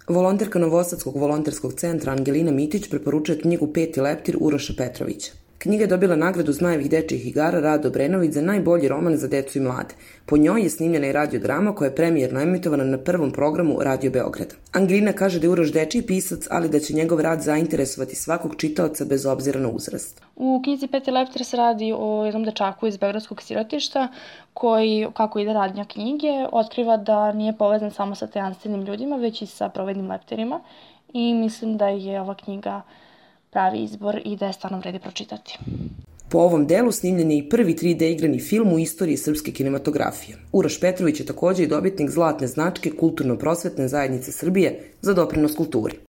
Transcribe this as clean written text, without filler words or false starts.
Volonterka Novosadskog volonterskog centra Angelina Mitić preporučuje knjigu Peti leptir Uroša Petrovića. Knjiga je dobila nagradu Zmajevih dečijih igara Rado Obrenović za najbolji roman za decu i mlade. Po njoj je snimljena i radiodrama koja je premijerno emitovana na prvom programu Radio Beograda. Angelina kaže da je Uroš dečiji pisac, ali da će njegov rad zainteresovati svakog čitaoca bez obzira na uzrast. U knjizi Peti leptir se radi o jednom dečaku iz beogradskog sirotišta koji, kako ide radnja knjige, otkriva da nije povezan samo sa tajanstvenim ljudima, već i sa provednim leptirima. I mislim da je ova knjiga pravi izbor i da je stvarno vredi pročitati. Po ovom delu snimljen je i prvi 3D igrani film u istoriji srpske kinematografije. Uroš Petrović je također i dobitnik zlatne značke Kulturno-prosvetne zajednice Srbije za doprinos kulturi.